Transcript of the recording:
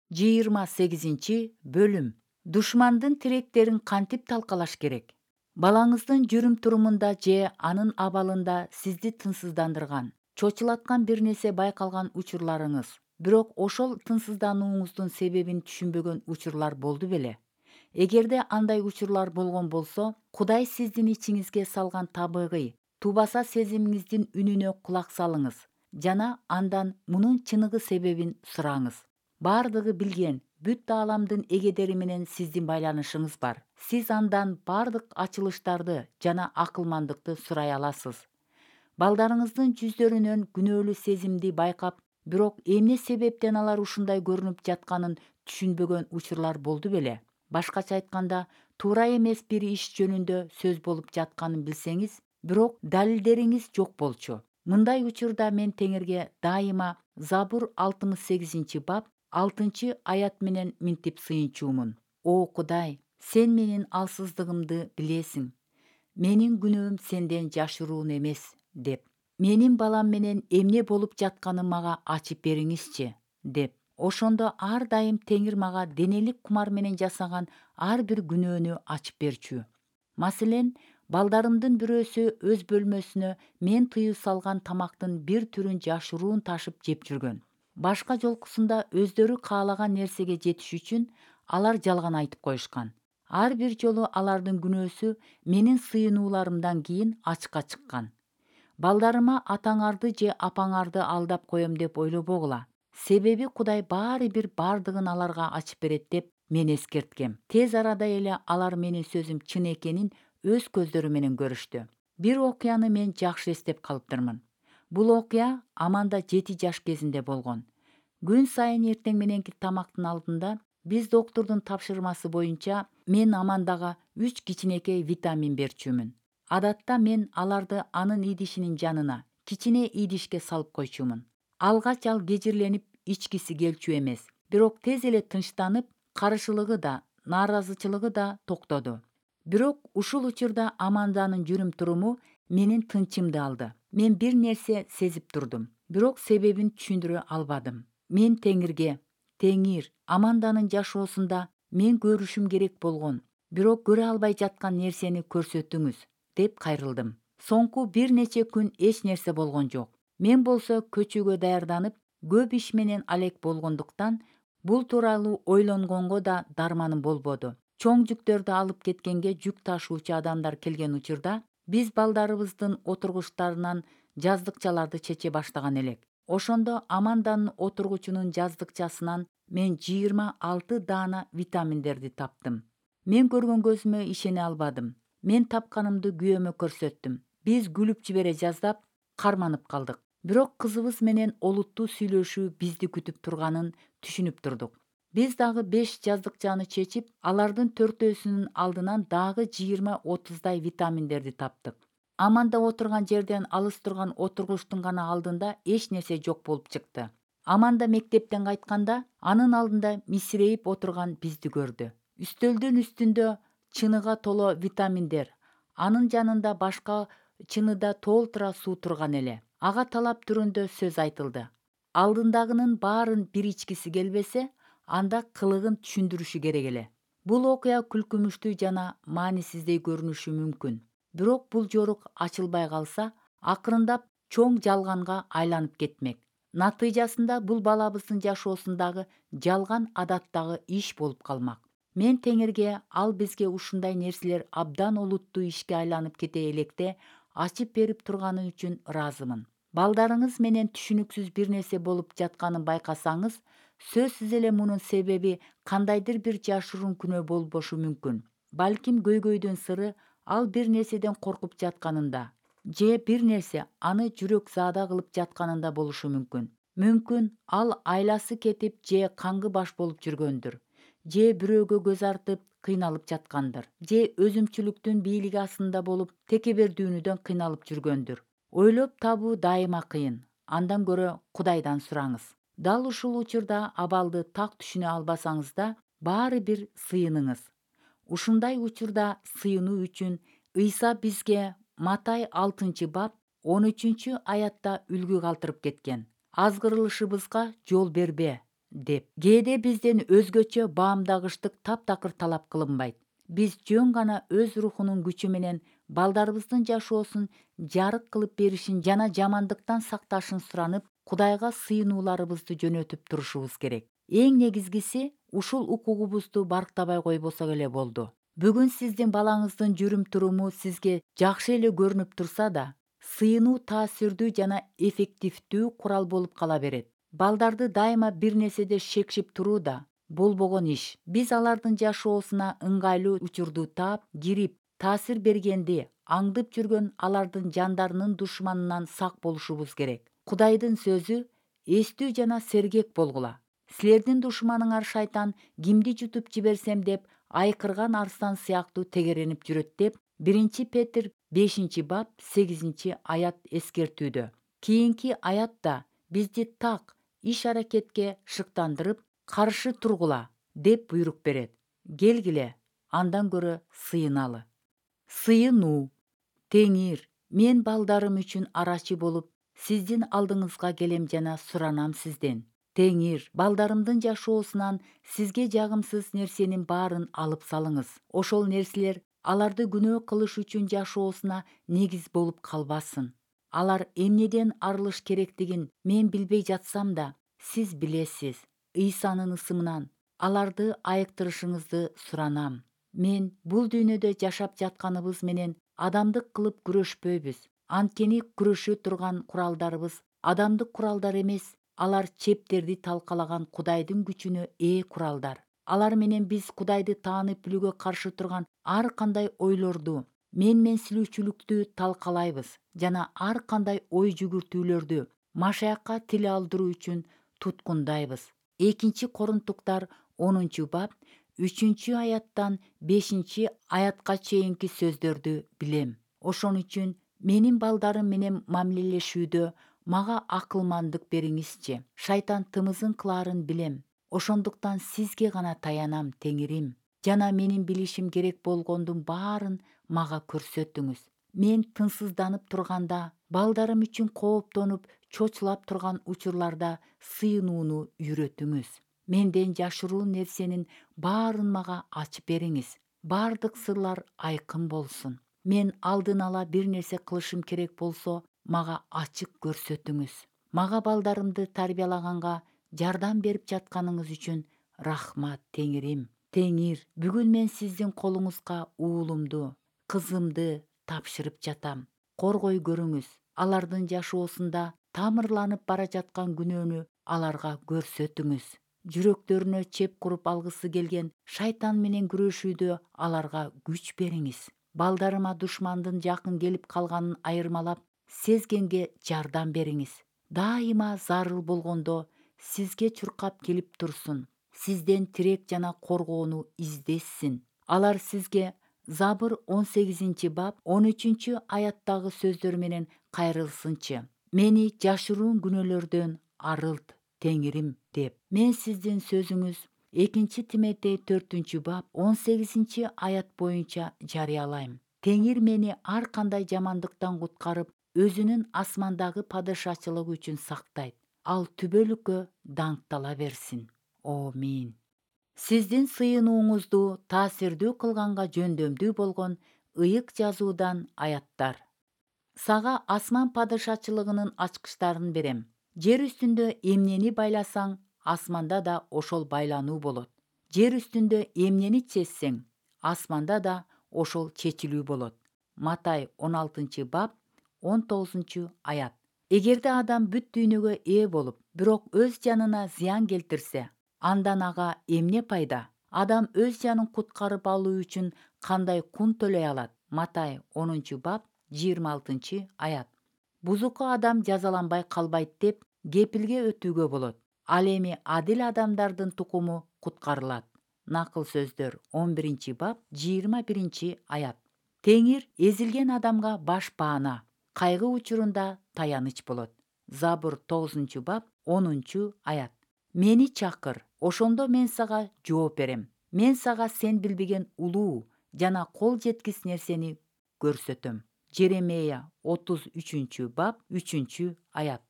28 бөлүм. Душмандын тилектерин кантип талкалаш керек? Балаңыздын жүрүм-турумунда же анын абалында сизди тынчсыздандырган, чочулаткан бир нерсе байкалган учурларыңыз, бирок ошол тынчсызданууңуздун себебин түшүнбөгөн учурлар болду беле? Эгерде андай учурлар болгон болсо, Кудай сиздин ичиңизге салган табигый, тубаса сезимиңиздин үнүнө кулак салыңыз жана андан мунун чыныгы себебин сураңыз. Бардыгы билген, бүт ааламдын эгедери менен сиздин байланышыңыз бар. Сиз андан бардык ачылыштарды жана акылмандыкты сурай аласыз. Балдарыңыздын жүздөрүнөн күнөөлүү сезимди байкап, бирок эмне себептен алар ушундай көрүнүп жатканын түшүнбөгөн учурлар болду беле? Башкача айтканда, туура эмес бир иш жөнүндө сөз болуп жатканын билсеңиз, бирок далилдериңиз жок болчу. Мындай учурда мен Теңирге дайыма Забур 68-бап 6-аят менен минтип сыйынчумун. О Кудай, сен менин алсыздыгымды билесиң. Менин күнөөм сенден жашыруун эмес, деп. Менин балам менен эмне болуп жатканын мага ачып бериңизчи, деп. Ошондо ар дайым Теңир мага денелик кумар менен жасаган ар бир күнөөнү ачып берчү. Маселен, балдарымдын бирөөсү өз бөлмөсүнө мен тыюу салган тамактын бир түрүн жашыруун ташып жеп жүргөн. Башка жолкусунда өздөрү каалаган нерсеге жетиш үчүн алар жалган айтып коюшкан. Ар бир жолу алардын күнөөсү менин сыйынууларымдан кийин ачыкка чыккан. Балдарыма атаңарды же апаңарды алдап коем деп ойлобогула. Себеби Кудай баары бир бардыгын аларга ачып берет деп мен эскерткем. Тез арада эле алар менин сөзүм чын экенин өз көздөрү менен көрүштү. Бир окуяны мен жакшы эстеп калыптырмын. Бул окуя Аманда 7 жаш кезинде болгон. Күн сайын эртең мененки тамактын алдында биз доктурдун тапшырмасы боюнча мен Амандага 3 кичинекей витамин берчүмүн. Адатта мен аларды анын идишинин жанына, кичине идишке салып койчумун. Алгач ал кежирленип ичкиси келчү эмес, бирок тез эле тынчтанып, карышылыгы да, нааразычылыгы да токтоду. Бирок ушул учурда Аманданын жүрүм-туруму менин тынчымды алды. Мен бир нерсе сезип турдум, бирок себебин түшүндүрө албадым. Мен Теңирге, Теңир, Аманданын жашоосунда мен көрүшүм керек болгон, бирок көрө албай жаткан нерсени көрсөтүңүз, деп кайрылдым. Соңку бир нече күн эч нерсе болгон жок. Мен болсо көчүүгө даярданып, көп иш менен алек болгондуктан бул тууралуу ойлонгонго да дарманым болбоду. Чоң жүктөрдү алып кеткенге жүк ташуучу адамдар келген учурда биз балдарыбыздын отургучтарынан жаздыкчаларды чече баштаган элек. Ошондо Аманданын отургучунун жаздыкчасынан мен 26 даана витаминдерди таптым. Мен көргөн көзүмө ишене албадым. Мен тапканымды күйөөмө көрсөттүм. Биз күлүп жибере жаздап, карманып калдык. Бирок кызыбыз менен олуттуу сүйлөшүү бизди күтүп турганын түшүнүп турдук. Биз дагы 5 жаздыкчаны чечип, алардын 4-өсүнүн алдынан дагы 20-30 витаминдерди таптык. Аманда отурган жерден алыс турган отургучтун гана алдында эч нерсе жок болуп чыкты. Аманда мектептен кайтканда, анын алдында мисирейип отурган бизди көрдү. Үстөлдүн үстүндө чыныга толо витаминдер, анын жанында башка чыныда толтура суу турган эле. Ага талап түрүндө сөз айтылды. Алдындагынын баарын бир ичкиси келбесе, анда кылыгын түшүндүрүшү керек эле. Бул окуя күлкүмүштүү жана маанисиздей көрүнүшү мүмкүн. Бирок бул жорук ачылбай калса, акырындап чоң жалганга айланып кетмек. Натыйжасында бул балабыздын жашоосундагы жалган адаттагы иш болуп калмак. Мен Теңирге ал бизге ушундай нерселер абдан олуттуу ишке айланып кете электе ачып берип турганы үчүн ыраазымын. Балдарыңыз менен түшүнүксүз бир нерсе болуп жатканын байкасаңыз, сөзсүз эле мунун себеби кандайдыр бир жашыруун күнөө болбошу мүмкүн. Балким көйгөйдүн сыры ал бир нерседен коркуп жатканында, же бир нерсе аны жүрөк заада кылып жатканында болушу мүмкүн. Мүмкүн ал айласы кетип же каңгы баш болуп жүргөндүр, же бирөөгө көз артып кыйналып жаткандыр, же өзүмчүлүктүн бийлиги астында болуп текебердүүнүдөн кыйналып жүргөндүр. Ойлоп табуу дайыма кыйын. Андан көрө Кудайдан сураңыз. Дал ушул учурда абалды так түшүнө албасаңыз да, баары бир сыйыныңыз. Ушундай учурда сыйынуу үчүн Ыйса бизге Матай 6-бап 13-аятта үлгү калтырып кеткен. Азгырылышыбызга жол бербе, деп. Кээде бизден өзгөчө баамдагычтык таптакыр талап кылынбайт. Биз жөн гана өз рухунун күчү менен балдарыбыздын жашоосун жарык кылып беришин жана жамандыктан сакташын суранып, Кудайга сыйынууларыбызды жөнөтүп турушубуз керек. Эң негизгиси ушул укугубузду барктабай койбосок эле болду. Бүгүн сиздин балаңыздын жүрүм-туруму сизге жакшы эле көрүнүп турса да, сыйынуу таасирдүү жана эффективдүү курал болуп кала берет. Балдарды дайыма бир нерседе шекшип туруу да болбогон иш. Биз алардын жашоосуна ыңгайлуу учурду таап, кирип, таасир бергенди аңдып жүргөн алардын жандарынын душманынан сак болушубуз керек. Кудайдын сөзү: эстүү жана сергек болгула. Силердин душманыңар шайтан кимди жутуп жиберсем деп айкырган арстан сыяктуу тегеренип жүрөт деп 1 Петр 5 бап 8 аят эскертүүдө. Кийинки аятта бизди так иш-аракетке шыктандырып, каршы тургула деп буйрук берет. Келгиле, андан көрө сыйыналы. Сыйынуу. Теңир, мен балдарым үчүн арачы болуп, сиздин алдыңызга келем жана суранам сизден. Теңир, балдарымдын жашоосунан сизге жагымсыз нерсенин баарын алып салыңыз. Ошол нерселер аларды күнөө кылыш үчүн жашоосуна негиз болуп калбасын. Алар эмнеден арылыш керектигин мен билбей жатсам да, сиз билесиз. Ыйсанын ысымынан аларды айыктырышыңызды суранам. Мен бул дүйнөдө жашап жатканыбыз менен адамдык кылып күрөшпөйбүз. Анткени күрөшө турган куралдарыбыз адамдык куралдар эмес, алар чептерди талкалаган Кудайдын күчүнө ээ куралдар. Алар менен биз Кудайды таанып билүүгө каршы турган ар кандай ойлорду, менменсилүүчүлүктү талкалайбыз жана ар кандай ой жүгүртүүлөрдү Машаякка тил алдыруу үчүн туткундайбыз. 2 Корунтуктар 10 бап 3 аяттан 5 аятка чейинки сөздөрдү билем. Ошон үчүн менин балдарым менен мамилелешүүдө мага акылмандык бериңизчи. Шайтан тымызын кылаарын билем. Ошондуктан сизге гана таянам, Теңирим. Жана менин билишим керек болгондун баарын мага көрсөтүңүз. Мен тынсызданып турганда, балдарым үчүн кооптонуп, чочулап турган учурларда сыйынууну үйрөтүңүз. Менден жашыруу нерсенин баарын мага ачып бериңиз. Бардык сырлар айкын болсун. Мен алдын ала бир нерсе кылышым керек болсо, мага ачык көрсөтүңүз. Мага балдарымды тарбиялаганга жардам берип жатканыңыз үчүн рахмат, Теңирим. Теңир, бүгүн мен сиздин колуңузга уулумду, кызымды тапшырып жатам. Коргой көрүңүз. Алардын жашоосунда тамырланып бара жаткан күнөөнү аларга көрсөтүңүз. Жүрөктөрүнө чеп куруп алгысы келген шайтан менен күрөшүүдө аларга күч бериңиз. Балдарыма душмандын жакын келип калганын айырмалап, сезгенге жардам бериңиз. Дайыма зарыл болгондо сизге чуркап келип турсун. Сизден тирек жана коргоону издесин. Алар сизге Забыр 18 бап 13 аяттагы сөздөр менен кайрылсынчы. Мени жашыруун күнөөлөрдөн арылт, Теңирим деп. Мен сиздин сөзүңүз 2 Тимотей 4 бап 18 аят боюнча жарыялайм. Теңир мени ар кандай жамандыктан куткарып, өзүнүн асмандагы падышачылыгы үчүн сактайт. Ал түбөлүккө даңктала берсин. Амин. Сиздин сыйынууңузду таасирдүү кылганга жөндөмдүү болгон ыйык жазуудан аяттар. Сага асман падышачылыгынын ачкычтарын берем. Жер үстүндө эмнени байласаң, асманда да ошол байлануу болот. Жер үстүндө эмнени чечсең, асманда да ошол чечилүү болот. Матай 16 бап 19 аят. Эгерде адам бүт дүйнөгө ээ болуп, бирок өз жанына зыян келтирсе, андан ага эмне пайда? Адам өз жанын куткарып алуу үчүн кандай кун төлөй алат? Матай 10 бап 26 аят. Бузуку адам жазаланбай калбайт деп кепилге өтүүгө болот. Ал эми адил адамдардын тукуму куткарылат. Накыл сөздөр 11 бап 21 аят. Теңир эзилген адамга баш баана, кайгы учурунда таяныч болот. Забыр 9 бап 10 аят. Мени чакыр, ошондо мен сага жооп берем. Мен сага сен билбеген улуу жана кол жеткис нерсени көрсөтөм. Жеремия 33 бап 3 аят.